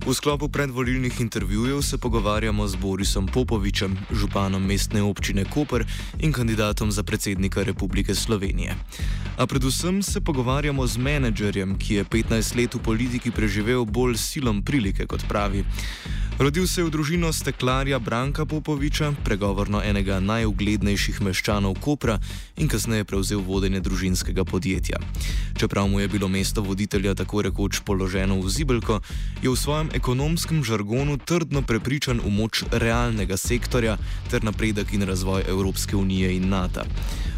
V sklopu predvolilnih intervjujev se pogovarjamo z Borisom Popovičem, županom mestne občine Koper in kandidatom za predsednika Republike Slovenije. A predvsem se pogovarjamo z menedžerjem, ki je 15 let v politiki preživel bolj silom prilike, kot pravi. Rodil se je v družino steklarja Branka Popoviča, pregovorno enega najuglednejših meščanov Kopra, in kasneje prevzel vodenje družinskega podjetja. Čeprav mu je bilo mesto voditelja tako rekoč položeno v zibelko, je v svojem ekonomskem žargonu trdno prepričan v moč realnega sektorja ter napredek in razvoj Evropske unije in NATO.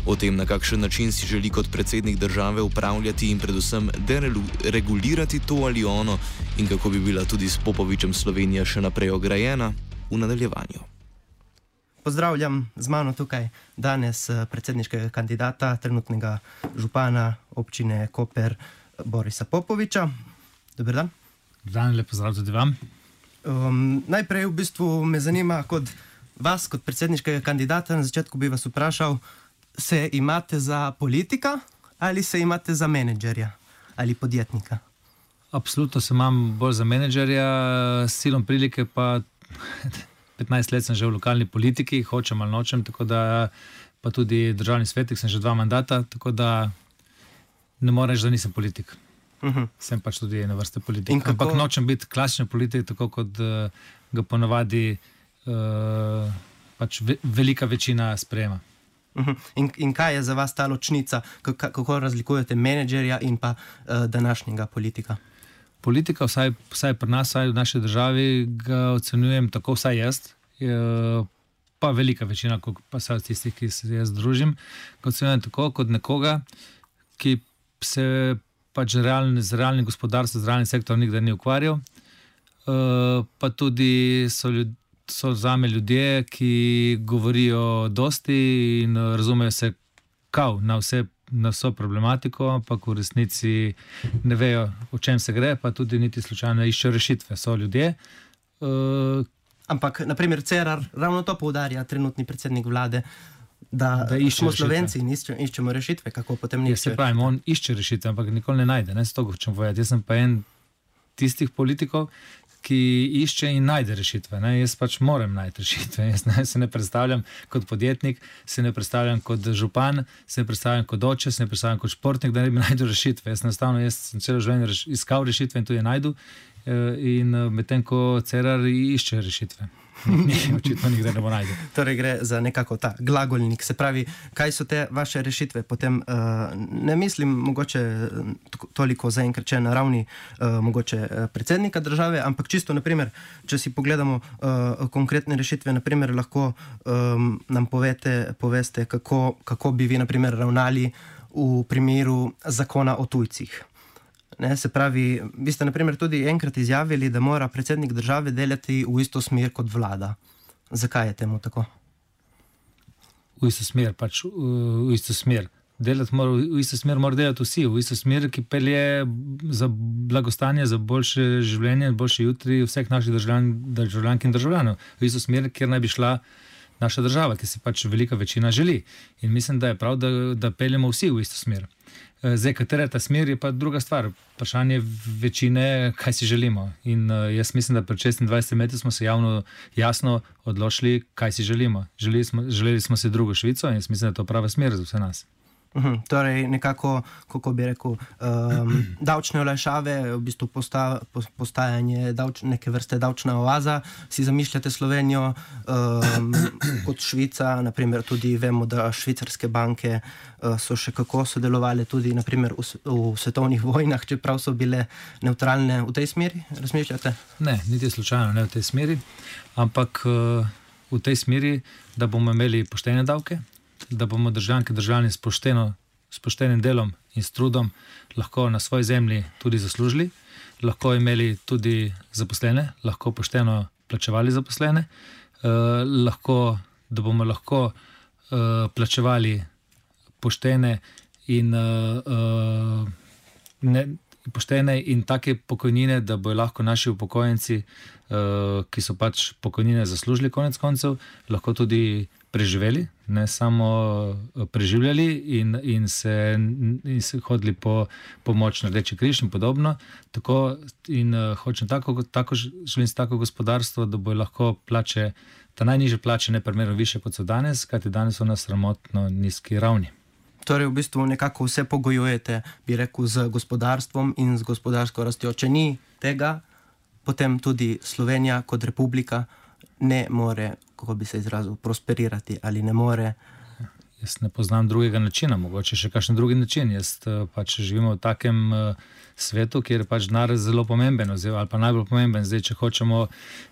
O tem, na kakšen način si želi kot predsednik države upravljati in predvsem deregulirati to ali ono in kako bi bila tudi s Popovičem Slovenija še naprej ograjena, v nadaljevanju. Pozdravljam z mano tukaj danes predsedniškega kandidata, trenutnega župana občine Koper, Borisa Popoviča. Dober dan. Dan, lep pozdrav tudi vam. Najprej v bistvu me zanima kot vas, kot predsedniškega kandidata, na začetku bi vas vprašal, se imate za politika ali se imate za menedžerja ali podjetnika? Absolutno se imam bolj za menedžerja, s silom prilike pa 15 let sem že v lokalni politiki, hočem ali nočem, tako da pa tudi državni svetnik sem že 2 mandata, tako da ne morem reči, da nisem politik. Sem pač tudi ena vrsta politik. Ampak nočem biti klasičen politik, tako kot ga ponavadi pač velika večina sprejema. In kaj je za vas ta ločnica? Kako razlikujete menedžerja in pa današnjega politika? Politika, vsaj pri nas, vsaj v naši državi, ga ocenjujem tako, vsaj jaz, pa velika večina, pa vsaj tistih, ki se jaz družim, ga ocenjujem tako kot nekoga, ki se pač z realnim gospodarstvom, z realnim sektorom nikdar ni ukvarjal, pa tudi so zame ljudje, ki govorijo dosti in razumejo se na vso problematiko, ampak v resnici ne vejo, o čem se gre, pa tudi niti slučajno iščejo rešitve. So ljudje. Ampak, naprimer, Cerar ravno to poudarja, trenutni predsednik vlade, da smo Slovenci in iščemo rešitve, kako potem ni. Se pravi, on išče rešitve, ampak nikoli ne najde. Ne, s to hočem povedati. Jaz sem pa en tistih politikov, ki išče in najde rešitve. Ne? Jaz pač moram najti rešitve. Jaz se ne predstavljam kot podjetnik, se ne predstavljam kot župan, se ne predstavljam kot oče, se ne predstavljam kot športnik, da ne bi najdel rešitve. Jaz sem celo življenje iskal rešitve in tudi je najdu. In medtem ko Cerar išče rešitve. Očitno nikdar ne bo najdel. Torej gre za nekako ta glagolnik. Se pravi, kaj so te vaše rešitve? Potem ne mislim mogoče toliko zaenkrat na ravni mogoče predsednika države, ampak čisto, naprimer, če si pogledamo konkretne rešitve, naprimer, lahko nam poveste, kako bi vi, naprimer, ravnali v primeru zakona o tujcih. Ne, se pravi, vi ste naprimer tudi enkrat izjavili, da mora predsednik države delati v isto smer kot vlada. Zakaj je temu tako? V isto smer, pač v isto smer. V isto smer mora delati vsi, v isto smer, ki pelje za blagostanje, za boljše življenje, boljše jutri vseh naših državljank in državljanov. V isto smer, kjer naj bi šla naša država, ki se pač velika večina želi. In mislim, da je prav, da peljemo vsi v isto smer. Zdaj, katera je ta smer, je pa druga stvar. Vprašanje večine, kaj si želimo. In jaz mislim, da pred 26 leti smo se jasno odločili, kaj si želimo. Želeli smo si drugo Švico in jaz mislim, da je to prava smer za vse nas. Torej nekako, kako bi rekel, davčne olajšave, v bistvu postajanje neke vrste davčna oaza, si zamišljate Slovenijo kot Švica, naprimer tudi vemo, da švicarske banke so še kako sodelovali tudi naprimer v svetovnih vojnah, čeprav so bile nevtralne. V tej smeri razmišljate? Ne, niti slučajno ne v tej smeri, ampak v tej smeri, da bomo imeli poštene davke, da bomo državljanke državljani s poštenim delom in s trudom lahko na svoji zemlji tudi zaslužili, lahko imeli tudi zaposlene, lahko pošteno plačevali zaposlene, da bomo lahko plačevali poštene in take pokojnine, da bojo lahko naši upokojenci, ki so pač pokojnine zaslužili konec koncev, lahko tudi preživeli, ne samo preživljali in se hodili po pomoč na Rdeči križ in podobno. Tako in želim si tako gospodarstvo, da bo lahko plače, ta najnižje plače neprimerno više kot so danes, kajti danes so na sramotno nizki ravni. Torej, v bistvu nekako vse pogojujete, bi rekel, z gospodarstvom in z gospodarsko rastjo. Če ni tega, potem tudi Slovenija kot republika ne more, kako bi se izrazil, prosperirati ali ne more. Jaz ne poznam drugega načina, mogoče še kakšen drugi način. Jaz pač živimo v takem svetu, kjer je pač denar zelo pomemben, ali pa najbolj pomemben. Zdaj, če hočemo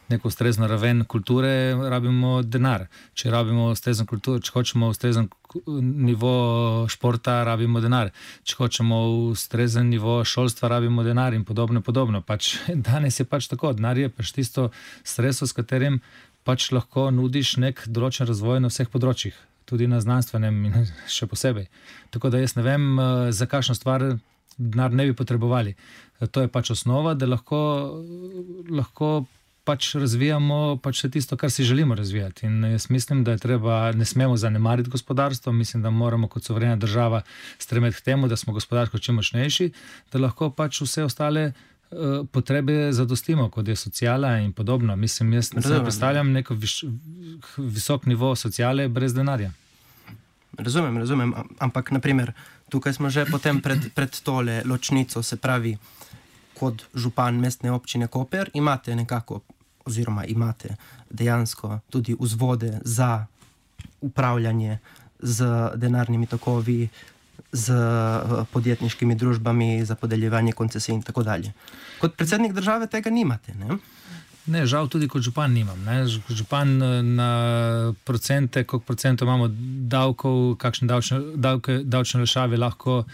neko ustrezno raven kulture, rabimo denar. Če rabimo ustrezno kulturo, če hočemo ustrezen nivo športa, rabimo denar. Če hočemo ustrezen nivo šolstva, rabimo denar in podobno. Pač danes je pač tako, denar je pač tisto sredstvo, s katerim pač lahko nudiš nek določen razvoj na vseh področjih, tudi na znanstvenem in še posebej. Tako da jaz ne vem, za kakšno stvar denar ne bi potrebovali. To je pač osnova, da lahko pač razvijamo pač vse tisto, kar si želimo razvijati. In jaz mislim, da je treba, ne smemo zanemariti gospodarstvo, mislim, da moramo kot suverena država stremeti k temu, da smo gospodarsko čim močnejši, da lahko pač vse ostale potrebe zadostimo, kot je sociala in podobno. Mislim, jaz ne predstavljam neko visok nivo sociale brez denarja. Razumem, ampak naprimer, tukaj smo že potem pred tole ločnico, se pravi, kot župan mestne občine Koper, imate dejansko tudi vzvode za upravljanje z denarnimi tokovi, z podjetniškimi družbami, za podeljevanje koncesij in tako dalje. Kot predsednik države tega nimate, ne? Ne, žal tudi kot župan nimam. Ne? Župan na procente, koliko procentov imamo davkov, kakšne davčne olajšave lahko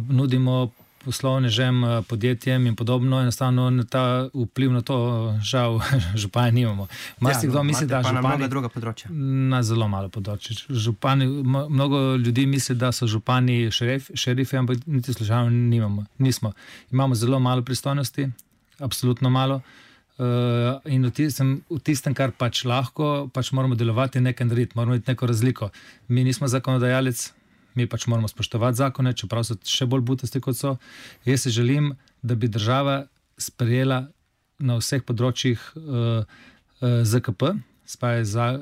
nudimo poslovnežem, podjetjem in podobno, enostavno ta vpliv na to žal župani nimamo. Marsikdo misli, da župani... Pa na mnoga druga področja. Na zelo malo področje. Mnogo ljudi misli, da so župani šerifi, ampak niti slučajno nismo. Imamo zelo malo pristojnosti, absolutno malo. In v tistem, kar pač lahko, pač moramo delovati in nekaj narediti, moramo imeti neko razliko. Mi nismo zakonodajalec, mi pač moramo spoštovati zakone, čeprav so še bolj butasti kot so. Jaz se želim, da bi država sprejela na vseh področjih ZKP, spaja za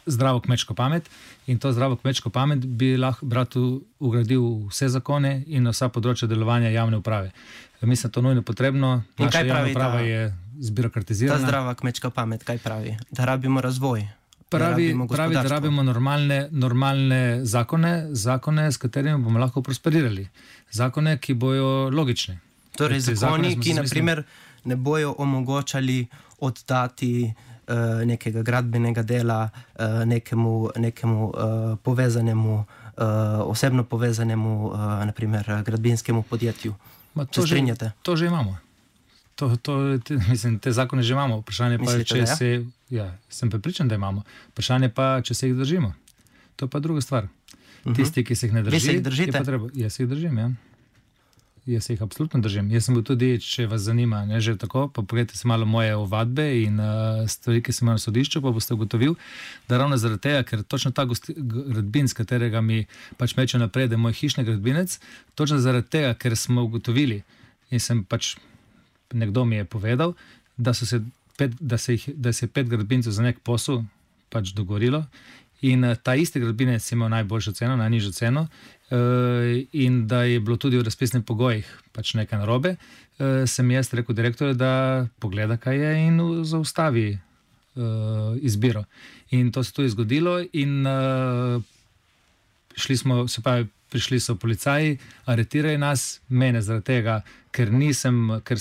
zdravo kmečko pamet, in to zdravo kmečko pamet bi lahko brat ugradil vse zakone in na vsa področja delovanja javne uprave. Mislim, to nujno potrebno. Naša javna uprava je zbirokratizirana. Ta zdrava kmečka pamet, kaj pravi? Da rabimo razvoj. Pravi, da rabimo normalne zakone, s katerimi bomo lahko prosperirali. Zakone, ki bojo logični. Torej, zakoni, ki naprimer ne bojo omogočali oddati nekega gradbenega dela nekemu povezanemu, osebno povezanemu, naprimer, gradbinskemu podjetju. Se strinjate? To že imamo. Mislim, te zakone že imamo. Vprašanje pa, sem prepričan, da imamo. Vprašanje pa, če se jih držimo. To je pa druga stvar. Tisti, ki se jih ne drži, vi se jih držite? Jaz se jih držim, ja. Jaz se jih absolutno držim. Jaz sem bil tudi, če vas zanima, ne, že tako, pa pogledajte si malo moje ovadbe in stvari, ki sem imel na sodišču, pa boste ugotovil, da ravno zaradi tega, ker točno ta gradbin, s katerega mi pač meče naprej, da je moj hišni gradbinec, točno zaradi tega, ker smo ugotovili in sem pač nekdo mi je povedal, da se je 5 gradbincev za nek posel pač dogovorilo in ta isti gradbinec je imel najboljšo ceno, najnižjo ceno in da je bilo tudi v razpisnih pogojih pač nekaj narobe, sem jaz rekel direktorju, da pogleda, kaj je in zaustavi izbiro. In to se tudi zgodilo in prišli so policaji, aretirali nas, mene zaradi tega, ker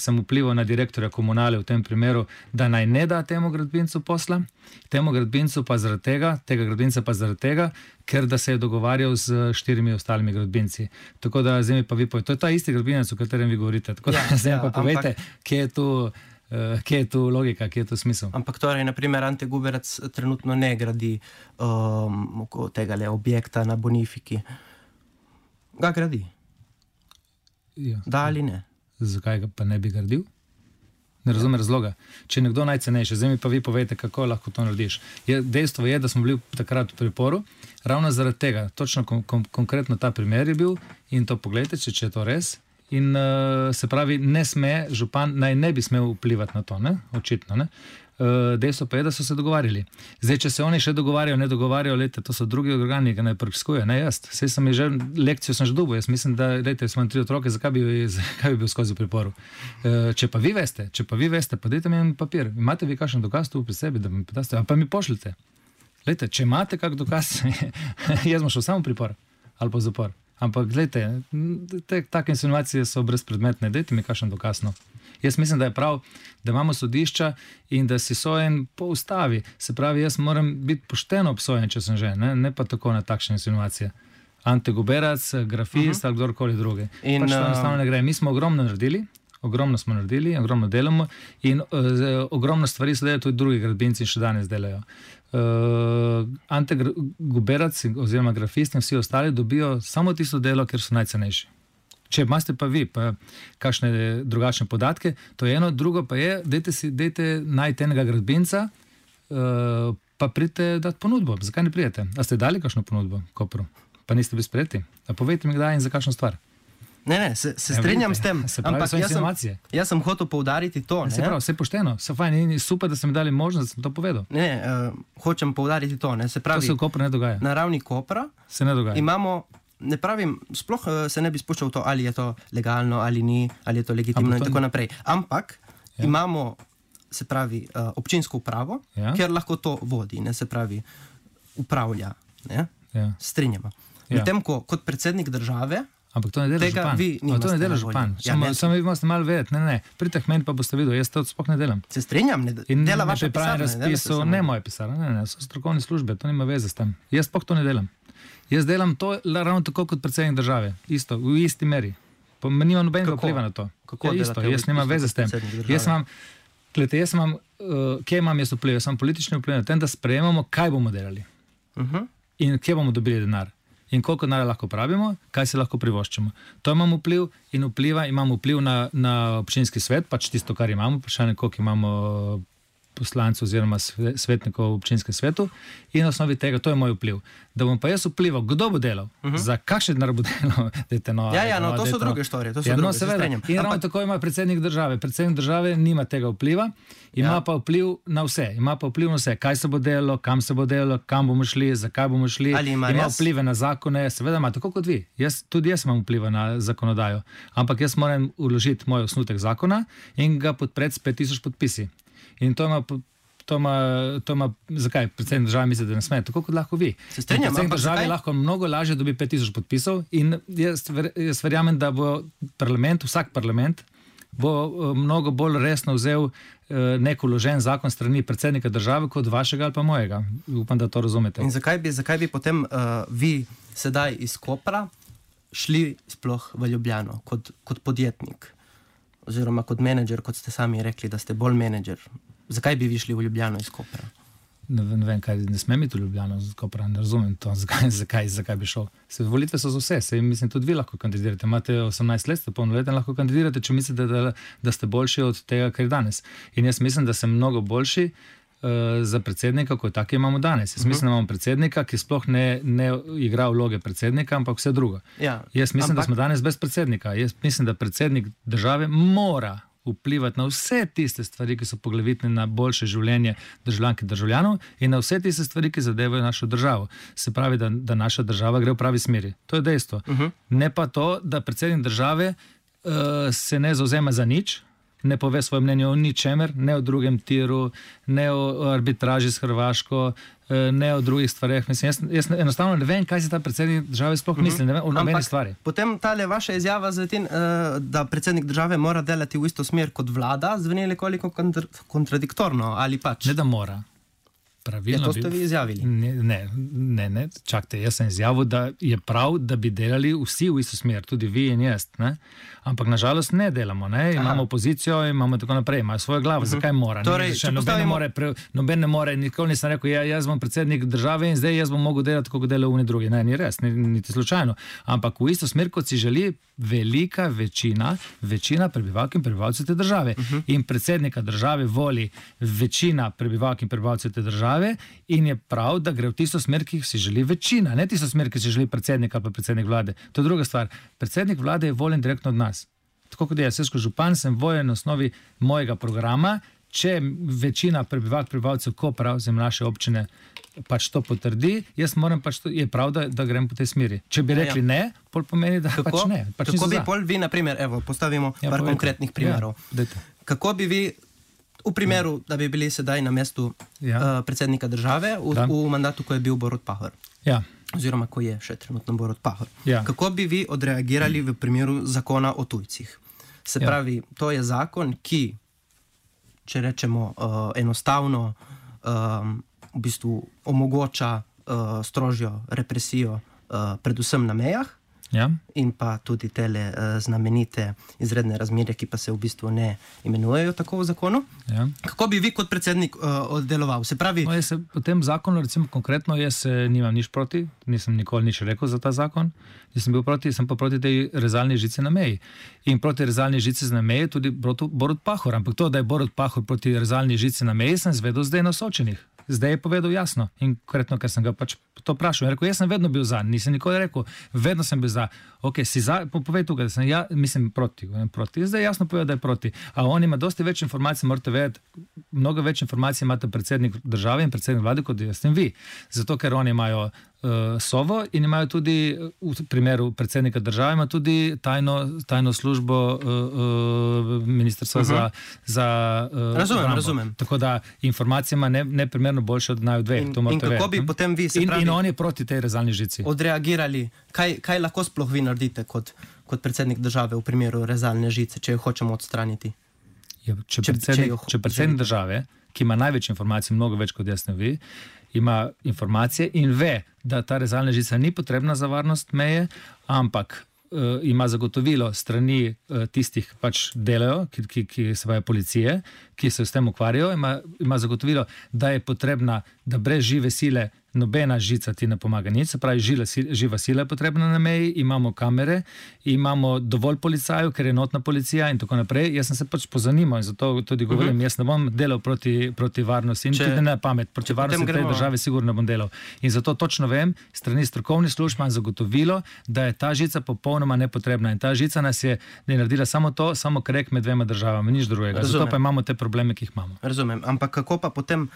sem vplival na direktorja komunale v tem primeru, da naj ne da temu gradbincu posla, tega gradbinca pa zaradi tega, ker da se je dogovarjal z 4 ostalimi gradbinci. Tako da zdaj mi pa vi povete, to je ta isti gradbinec, o katerem vi govorite. Tako da zdaj pa povejte, kje je tu logika, kje je tu smisel. Ampak torej, naprimer, Ante Guberac trenutno ne gradi tega objekta na Bonifiki. Ga gradi? Ja. Da ali ne? Zakaj ga pa ne bi gradil? Ne razumem razloga. Če je nekdo najcenejši, zdaj mi pa vi povejte, kako lahko to narediš. Dejstvo je, da smo bili takrat v priporu, ravno zaradi tega, točno konkretno ta primer je bil in to pogledajte, če je to res. In se pravi, župan naj ne bi smel vplivati na to, ne? Očitno. Ne? Dejstvo pa je, da so se dogovarjali. Zdaj, če se oni še dogovarjajo, ne dogovarjajo, lejte, to so drugi organi, ki naj preiskujejo, ne jaz. Sej sem že lekcijo sem že dobil, jaz mislim, da, lejte, smo 3 otroke, zakaj bi bil skozi v priporu? Če pa vi veste, pa dajte mi en papir, imate vi kakšen dokaz tu pri sebi, da mi podaste, pa mi pošljite. Lejte, če imate kak dokaz, jaz bom šel samo v pripor ali pa v zapor. Ampak, gledajte, take insinuacije so brezpredmetne, dajte mi kakšen dokaz, no. Jaz mislim, da je prav, da imamo sodišča in da si sojen po ustavi. Se pravi, jaz moram biti pošteno obsojen, če sem že, ne pa tako na takšne insinuacije. Ante Goberac, grafist ali kdorkoli druge. Pač to enostavno ne gre. Mi smo ogromno naredili, ogromno delamo in ogromno stvari se delajo, tudi drugi gradbinci še danes delajo. Ante Goberac oziroma grafist in vsi ostali dobijo samo tisto delo, ker so najcenejši. Če imate pa vi kakšne drugačne podatke, to je eno, drugo pa je, dajte najti enega gradbinca, pa pridite dati ponudbo. Zakaj ne pridete? A ste dali kakšno ponudbo Kopru? Pa niste bili sprejeti? A povejte mi kdaj in za kakšno stvar? Ne, se strinjam s tem, ampak jaz sem hotel poudariti to. Se pravi, vse pošteno, se fajn, in super, da ste mi dali možnost, da sem to povedal. Ne, hočem poudariti to. Se pravi, to se v Kopru ne dogaja. Na ravni Kopra se ne dogaja. Imamo, ne pravim, sploh se ne bi spuščal v to, ali je to legalno, ali ni, ali je to legitimno in tako naprej. Ampak imamo, se pravi, občinsko upravo, kjer lahko to vodi, se pravi, upravlja. Strinjamo. Medtem ko kot predsednik države, ampak to ne dela župan. To ne dela župan. Samo vi morate malo vedeti. Ne. Pridite k meni, pa boste videli, jaz to sploh ne delam. Se strinjam, dela vaša pisarna. Ne moje pisarna, ne, so strokovne službe, to nima veze s tem. Jaz sploh to ne delam. Jaz delam to ravno tako kot predsednik države. Isto, v isti meri. Nima nobenega vpliva na to. Kako isto, jaz nimam veze s tem. Jaz imam, kje imam jaz vpliv? Jaz imam politični vpliv na tem, da sprejemamo, kaj bomo delali. In kje bomo dobili denar. In koliko denarja lahko pravimo, kaj se lahko privoščimo. To imamo vpliv in imamo vpliv na občinski svet, pač tisto, kar imamo, vprašanje, koliko imamo poslancev oziroma svetnikov v občinskem svetu in na osnovi tega, to je moj vpliv. Da bom pa jaz vplival, kdo bo delal, za kakšen denar bo delal. To so druge storije. In ravno tako ima predsednik države. Predsednik države nima tega vpliva, ima pa vpliv na vse. Kaj se bo delalo, kam se bo delalo, kam bomo šli, zakaj bomo šli. Ima vplive na zakone, seveda ima, tako kot vi. Tudi jaz imam vpliva na zakonodajo. Ampak jaz moram vložiti moj osnutek zakona in ga podpreti s 5000 podpisi. In to ima, zakaj predsednik države misli, da ne sme, tako kot lahko vi. Predsednik države lahko mnogo lažje dobi 5000 podpisov in jaz verjamem, da bo vsak parlament bo mnogo bolj resno vzel nek vložen zakon strani predsednika države kot vašega ali pa mojega. Upam, da to razumete. In zakaj bi potem vi sedaj iz Kopra šli sploh v Ljubljano kot podjetnik? Oziroma kot menedžer, kot ste sami rekli, da ste bolj menedžer. Zakaj bi vi šli v Ljubljano iz Kopra? Ne vem, kaj ne smem iti v Ljubljano iz Kopra, ne razumem to, zakaj bi šel. Volitve so za vse, mislim, tudi vi lahko kandidirate. Imate 18 let, ste polnoleten, lahko kandidirate, če mislite, da ste boljši od tega, kar je danes. In jaz mislim, da sem mnogo boljši za predsednika, kot tako imamo danes. Jaz mislim, da imamo predsednika, ki sploh ne igra vloge predsednika, ampak vse drugo. Jaz mislim, da smo danes brez predsednika. Jaz mislim, da predsednik države mora vplivati na vse tiste stvari, ki so poglavitne na boljše življenje državljank in državljanov in na vse tiste stvari, ki zadevajo našo državo. Se pravi, da naša država gre v pravi smeri. To je dejstvo. Ne pa to, da predsednik države se ne zavzema za nič, ne pove svoje mnenje o ničemer, ne o drugem tiru, ne o arbitraži s Hrvaško, ne o drugih stvareh. Mislim, jaz enostavno ne vem, kaj se ta predsednik države sploh misli, ne vem o nobeni stvari. Potem tale vaša izjava, da predsednik države mora delati v isto smer kot vlada, zveni nekoliko kontradiktorno, ali pač? Ne, da mora. pravilno. To ste vi izjavili. Ne, čakajte, jaz sem izjavil, da je prav, da bi delali vsi v isto smer, tudi vi in jaz, ne? Ampak nažalost ne delamo, ne? Imamo opozicijo, imamo tako naprej, imajo svojo glavo, zakaj mora? Torej, noben ne more, nikoli nisem rekel, jaz bom predsednik države in zdaj jaz bom mogel delati, kako delajo oni drugi. Ne, ni res, niti slučajno. Ampak v isto smer, kot si želi velika večina prebivalk in prebivalcev te države. In predsednika države voli večina prebivalk in prebivalcev te države in je prav, da gre v tisto smer, ki si želi večina, ne tisto smer, ki si želi predsednik ali pa predsednik vlade. To je druga stvar. Predsednik vlade je voljen direktno od nas. Tako kot jaz kot župan sem voljen na osnovi mojega programa, če večina prebivalcev Kopra oziroma naše občine pač to potrdi, jaz moram pač to, je prav, da grem po tej smeri. Če bi rekli ne, pol pomeni, da pač ne. Pač kako bi pol vi, na primer, postavimo par konkretnih primerov. Kako bi vi v primeru, da bi bili sedaj na mestu predsednika države v mandatu, ko je bil Borut Pahor? Oziroma, ko je še trenutno Borut Pahor. Kako bi vi odreagirali v primeru zakona o tujcih? Se pravi, to je zakon, ki, če rečemo enostavno, v bistvu omogoča strožjo represijo predvsem na mejah in pa tudi tele znamenite izredne razmere, ki pa se v bistvu ne imenujejo tako v zakonu. Kako bi vi kot predsednik oddeloval? Se pravi... V tem zakonu, recimo konkretno, jaz nimam nič proti, nisem nikoli nič rekel za ta zakon, sem pa proti tej rezalni žici na meji. In proti rezalni žici na meji tudi Borut Pahor. Ampak to, da je Borut Pahor proti rezalni žici na meji, sem zvedel zdaj na Sočenih. Zdaj je povedal jasno in konkretno, ker sem ga pač to vprašal. Je rekel, jaz sem vedno bil za, nisem nikoli rekel, vedno sem bil za. Ok, si za, povej tukaj, da sem mislim proti. Zdaj jasno povedal, da je proti. A on ima dosti več informacij, morate vedeti, mnogo več informacij imate predsednik države in predsednik vlade, kot jaz in vi. Zato, ker oni imajo Sovo in imajo tudi, v primeru predsednika države, ima tudi tajno službo ministrstva za Razumem. Tako da informacije ima neprimerno boljše od naju dveh. In kako bi potem vi, se pravi... In on je proti tej rezalni žici. Odreagirali, kaj lahko sploh vi naredite kot predsednik države v primeru rezalne žice, če jo hočemo odstraniti? Če predsednik države, ki ima največ informacij, mnogo več kot jaz ne vi, ima informacije in ve, da ta rezalna žica ni potrebna za varnost meje, ampak ima zagotovilo strani tistih pač delajo, ki se pravi policije, ki se s tem ukvarjajo, ima zagotovilo, da je potrebna, da brez žive sile nobena žica ti ne pomaga nič, se pravi živa sila je potrebna na meji, imamo kamere, imamo dovolj policajev, ker je enotna policija in tako naprej. Jaz sem se pač pozanimal in zato tudi govorim, jaz ne bom delal proti varnosti in tudi ne pamet, proti varnosti tej države sigurno bom delal. In zato točno vem, strani strokovnih služb imam zagotovilo, da je ta žica popolnoma nepotrebna in ta žica nas je naredila samo krek med dvema državama, nič drugega. Zato pa imamo te probleme, ki jih imamo. Razumem, ampak kako pa potem,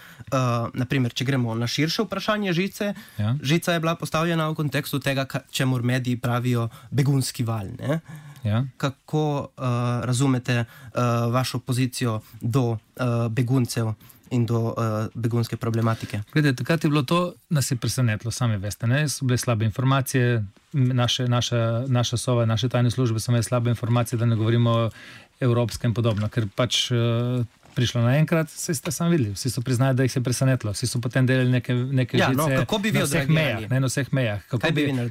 naprimer, če gremo na širše vprašanje žice, žica je bila postavljena v kontekstu tega, čemur mediji pravijo begunski val, ne? Kako razumete vašo pozicijo do beguncev in do begunske problematike? Glede, takrat je bilo to, nas je presenetilo, sami veste, ne? So bile slabe informacije, naša Sova, naše tajne službe so imeli slabe informacije, da ne govorimo o evropskem in podobno, ker pač prišlo naenkrat, vsi ste sami videli, vsi so priznali, da jih se je presenetilo, vsi so potem delali neke žice kako bi vi odreagirali? Na vseh mejah.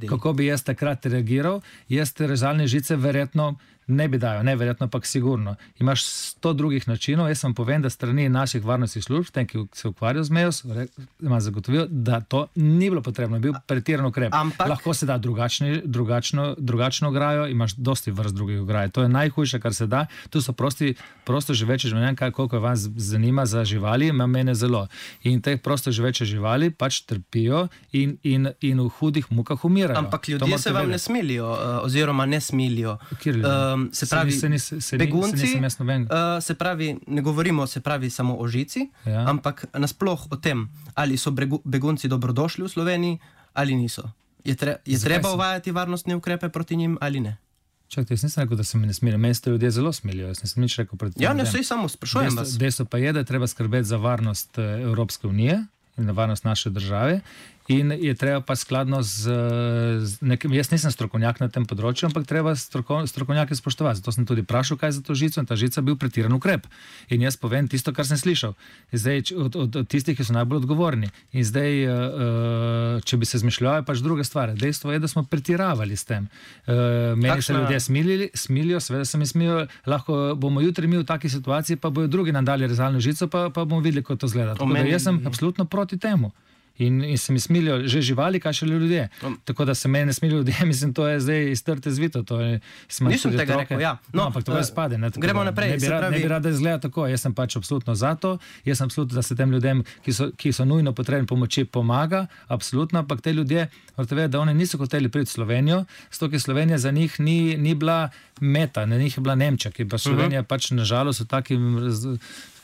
Kako bi jaz takrat reagiral? Jaz te rezalne žice verjetno ne bi dajal, ne verjetno, ampak sigurno. Imaš 100 drugih načinov, jaz vam povem, da strani naših varnostnih služb, tem, ki se ukvarjajo z mejo, ima zagotovil, da to ni bilo potrebno, je bil pretiran ukrep. Lahko se da drugačno ograjo, imaš dosti vrst drugih ograj. To je najhujše, kar se da. Tu so prosto živeče živali, koliko vas zanima za živali, ima mene zelo. In te prosto živeče živali pač trpijo in v hudih mukah umirajo. Ampak ljudje se vam ne smilijo, oziroma ne smilijo. Se pravi, begunci, se pravi, ne govorimo se pravi samo o žici, ampak nasploh o tem, ali so begunci dobrodošli v Sloveniji ali niso. Je treba uvajati varnostne ukrepe proti njim ali ne? Čakajte, jaz nisem rekel, da se mi ne smilijo. Meni se ljudje zelo smilijo. Jaz nisem nič rekel proti njim. Ne, sej samo sprašujem vas. Dejstvo pa je, da je treba skrbeti za varnost Evropske unije in na varnost naše države. in je treba pa skladno z nekim, jaz nisem strokovnjak na tem področju, ampak treba strokovnjake spoštovati. Zato sem tudi vprašal, kaj je za to žico, in ta žica bil pretiran ukrep. In jaz povem tisto, kar sem slišal. Zdaj, od tistih, ki so najbolj odgovorni. In zdaj, če bi se zmišljali, pač druga stvar. Dejstvo je, da smo pretiravali s tem. Meni se ljudje smilijo, seveda se mi smijo, lahko bomo jutri mi v taki situaciji, pa bojo drugi nam dali rezalno žico, pa bomo videli, kako to izgleda. Jaz sem absolutno proti temu. In se mi smilijo že živali, kaj še ljudje. Tako da se meni ne smilijo ljudje, mislim, to je zdaj iztrte zvito. Nisem tega rekel, ja. No, ampak to je spade. Gremo naprej. Ne bi rad, da izgleda tako. Jaz sem pač absolutno za to. Jaz sem absolutno, da se tem ljudem, ki so nujno potrebni pomoči, pomaga. Absolutno, ampak te ljudje, morate vedeti, da oni niso hoteli priti v Slovenijo, zato ker Slovenija za njih ni bila meta, na njih je bila Nemčija, ki pa Slovenija pač nažalost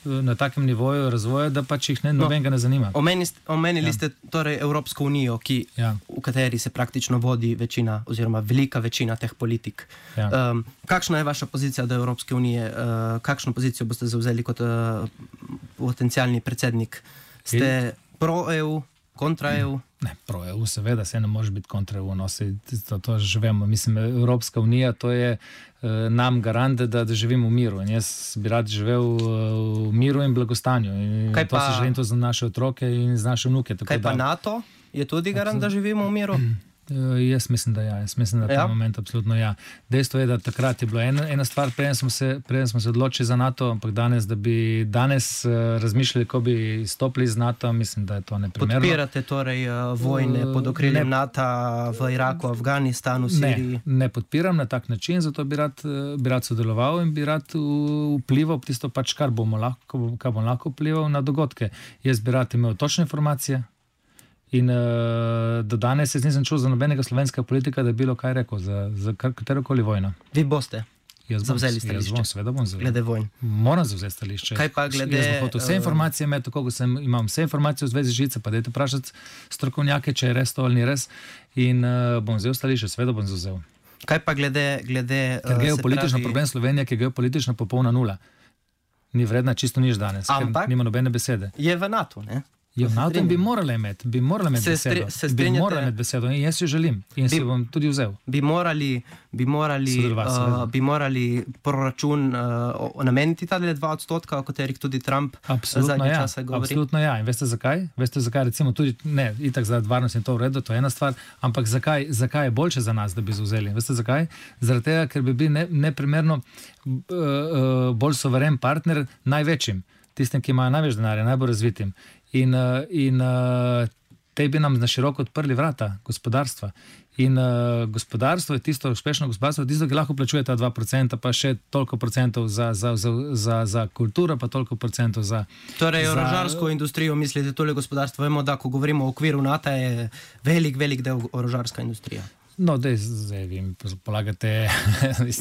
na takem nivoju razvoja, da pač jih nobenega ne zanima. Omenili ste torej Evropsko unijo, v kateri se praktično vodi večina oziroma velika večina teh politik. Kakšna je vaša pozicija do Evropske unije? Kakšno pozicijo boste zavzeli kot potencialni predsednik? Ste pro-EU, kontra-EU? Ne, pro-EU seveda, se ne može biti kontra-EU. To že vemo. Mislim, Evropska unija, to je nam garant, da živimo v miru. In jaz bi rad živel v miru in blagostanju. In to si želim to za naše otroke in za naše vnuke. Kaj pa NATO? Je tudi garant, da živimo v miru? Jaz mislim, da ja. Jaz mislim, da ta moment absolutno ja. Dejstvo je, da takrat je bilo ena stvar, preden smo se odločili za NATO, ampak da bi danes razmišljali, ko bi stopili iz NATO, mislim, da je to neprimerno. Podpirate torej vojne pod okriljem NATO v Iraku, Afganistanu, Siriji? Ne podpiram na tak način, zato bi rad sodeloval in bi rad vplival tisto pač, kar bom lahko vplival na dogodke. Jaz bi rad imel točne informacije. In do danes jaz nisem čul za nobenega slovenskega politika, da je bilo kaj rekel za katerokoli vojno. Vi boste zavzeli stališče? Jaz seveda bom zavzel. Glede vojn? Moram zavzeti stališče. Kaj pa glede... Jaz bom hotel vse informacije imeti, tako kot imam vse informacije v zvezi žice, pa dajte vprašati strokovnjake, če je res to ali ni res. In bom vzel stališče, seveda bom zavzel. Kaj pa glede... Ker geopolitično problem Slovenije, ki je geopolitično popolna nula. Ni vredna čisto nič danes, ker nima nobene besede. Je v NATO, ne? Je v NATO in bi morali imeti besedo. Bi morali imeti besedo in jaz jo želim in si bom tudi vzel. Bi morali proračun nameniti tale 2%, o katerih tudi Trump zadnje čase govori? Absolutno ja. In veste zakaj? Veste zakaj? Recimo tudi, ne, itak za varnost in to v redu, to je ena stvar, ampak zakaj je boljše za nas, da bi vzeli? Veste zakaj? Zaradi tega, ker bi bili neprimerno bolj soveren partner največjim, tistim, ki imajo največ denarja, najbolj razvitim. In te bi nam na široko odprli vrata gospodarstva. In gospodarstvo je tisto, uspešno gospodarstvo je tisto, ki lahko plačuje ta 2%, pa še toliko procentov za kulturo, pa toliko procentov za... Torej, orožarsko industrijo mislite, tole gospodarstvo, vemo, da ko govorimo o okviru NATO, je velik del orožarska industrija. No, zdaj vi mi polagate...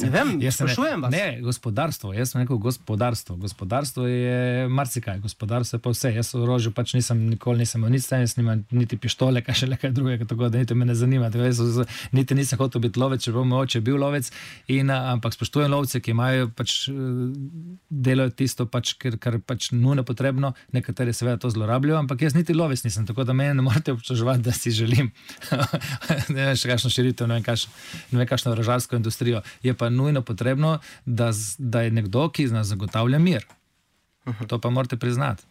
Ne vem, sprašujem vas. Ne, gospodarstvo, jaz sem rekel gospodarstvo. Gospodarstvo je marsikaj, gospodarstvo je pa vse. Jaz v orožju pač nikoli nisem imel nič, niti pištole, kaj še nekaj drugega, tako da niti me ne zanima. Niti nisem hotel biti lovec, če bo moj oče bil lovec, ampak spoštujem lovce, ki imajo pač delajo tisto, pač, kar pač nujno potrebno, nekateri seveda to zlorabljajo, ampak jaz niti lovec nisem, tako da mene ne morate obtoževati, da si želim. Ne vem, še kakšno ne vem kakšno orožarsko industrijo. Je pa nujno potrebno, da je nekdo, ki nas zagotavlja mir. To pa morate priznati.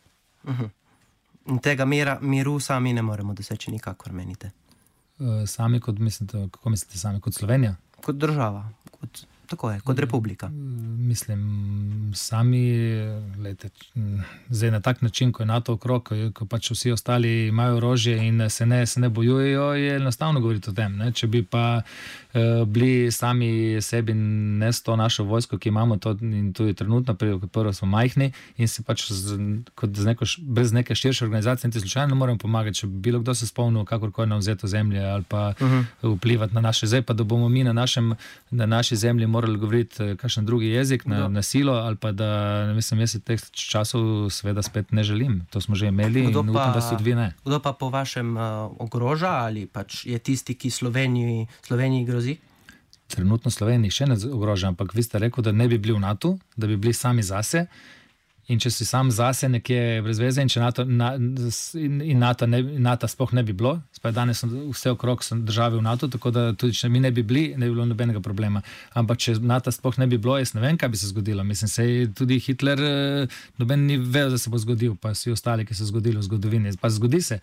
In tega miru sami ne moremo doseči nikakor, menite? Sami kot mislite, kako mislite sami? Kot Slovenija? Kot država. Tako je, kot republika. Mislim, sami, gledajte, zdaj na tak način, ko je NATO okrog, ko pač vsi ostali imajo orožje in se ne bojujejo, je enostavno govoriti o tem. Ne? Če bi pa bili sami sebi s to našo vojsko, ki imamo to in tudi trenutno, prvo smo majhni in se pač brez neke širše organizacije niti slučajno ne moremo pomagati, če bi bilo kdo se spomnil kakorkoli na vzeto zemlje ali pa vplivati na naše zdaj, pa da bomo mi na naši zemlji morali govoriti kakšen drugi jezik na silo, ali pa da, mislim, jaz teh časov seveda spet ne želim. To smo že imeli in upam, da se tudi ne. Kdo pa po vašem ogroža ali pač je tisti, ki Sloveniji grozi? Trenutno Sloveniji še ne ogroža, ampak vi ste rekel, da ne bi bili v NATO, da bi bili sami zase In če si sam zase nekje brez veze in če NATO sploh ne bi bilo, danes so vse okrog države v NATO, tako da tudi če mi ne bi bili, ne bi bilo nobenega problema. Ampak če NATO sploh ne bi bilo, jaz ne vem, kaj bi se zgodilo. Mislim, se tudi Hitler noben ni vedel, da se bo zgodil, pa vsi ostali, ki so zgodili v zgodovini. Pa zgodi se.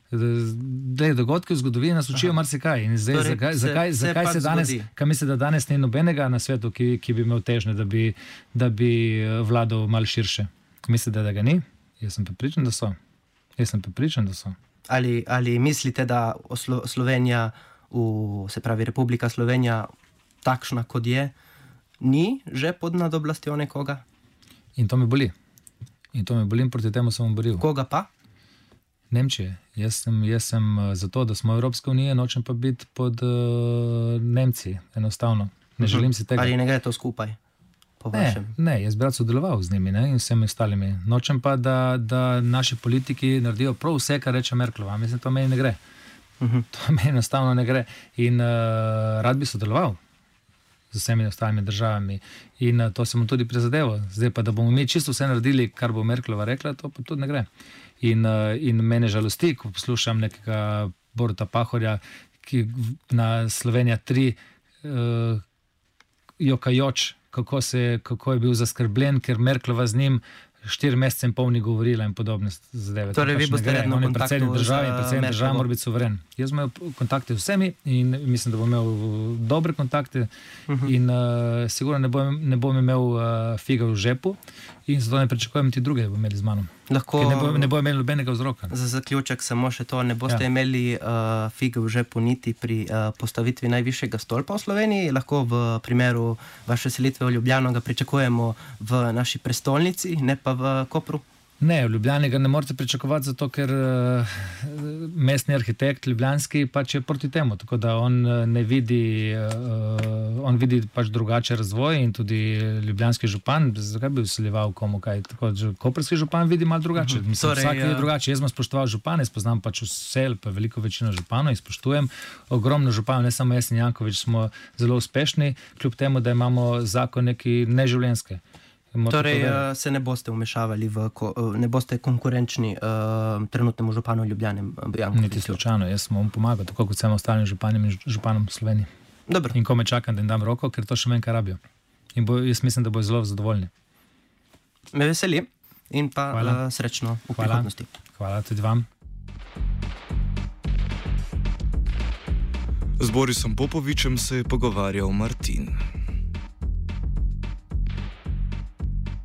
Dogodki v zgodovini nas učijo marsikaj. In zdaj, zakaj se danes, kaj misli, da danes ni nobenega na svetu, ki bi imel težnje, da bi vladal malo širše? Misli, da ga ni? Jaz sem prepričan, da so. Ali mislite, da Slovenija, se pravi Republika Slovenija, takšna kot je, ni že pod nadoblastjo nekoga? In to me boli. In proti temu sem boril. Koga pa? Nemčije. Jaz sem za to, da smo Evropska unija, nočem pa biti pod Nemci, enostavno. Ne želim si tega. Ali ne gre to skupaj? Ne, jaz bi rad sodeloval z njimi, in vsemi ostalimi. Nočem pa, da naši politiki naredijo prav vse, kar reče Merklova. Mislim, to meni ne gre. To meni enostavno ne gre. In rad bi sodeloval z vsemi ostalimi državami. In to sem tudi prizadeval. Zdaj pa, da bomo mi čisto vse naredili, kar bo Merklova rekla, to pa tudi ne gre. In mene žalosti, ko poslušam nekega Boruta Pahorja, ki na Slovenija 3 jokajoč, kako je bil zaskrbljen, ker Merklova z njim 4 mesece in pol ni govorila in podobne zadeve. Torej, vi boste redno v kontaktu z državo in predsednik države mora biti suveren. Jaz bom imel kontakte z vsemi in mislim, da bom imel dobre kontakte in sigurno ne bom imel figa v žepu in zato ne pričakujem ti druge, da bomo imeli z mano. Ne bo imeli nobenega vzroka. Za zaključek samo še to, ne boste imeli figa v žepu niti pri postavitvi najvišjega stolpa v Sloveniji. Lahko v primeru vaše selitve v Ljubljano ga pričakujemo v naši prestolnici, ne pa v Kopru? Ne, v Ljubljani ga ne morete pričakovati, zato ker mestni arhitekt ljubljanski pač je proti temu, tako da on vidi pač drugače razvoj in tudi ljubljanski župan, zakaj bi vsiljeval komu kaj, tako koprski župan vidi malo drugače. Mislim, vsak je drugače. Jaz sem spoštoval župane, spoznam pač vse, pa veliko večino županov in spoštujem. Ogromno županov, ne samo jaz in Janković, smo zelo uspešni, kljub temu, da imamo zakon neki neživljenjske. Torej, se ne boste vmešavali, ne boste konkurenčni trenutnemu županu Ljubljane? Niti slučajno, jaz sem vam pomagal, tako kot vsem ostalim županom in županom v Sloveniji. Dobro. In ko me čakam, da jim dam roko, ker to še meni kaj rabijo. In jaz mislim, da bojo zelo zadovoljni. Me veseli in pa srečno v prihodnosti. Hvala tudi vam. Z Borisom Popovičem se je pogovarjal Martin.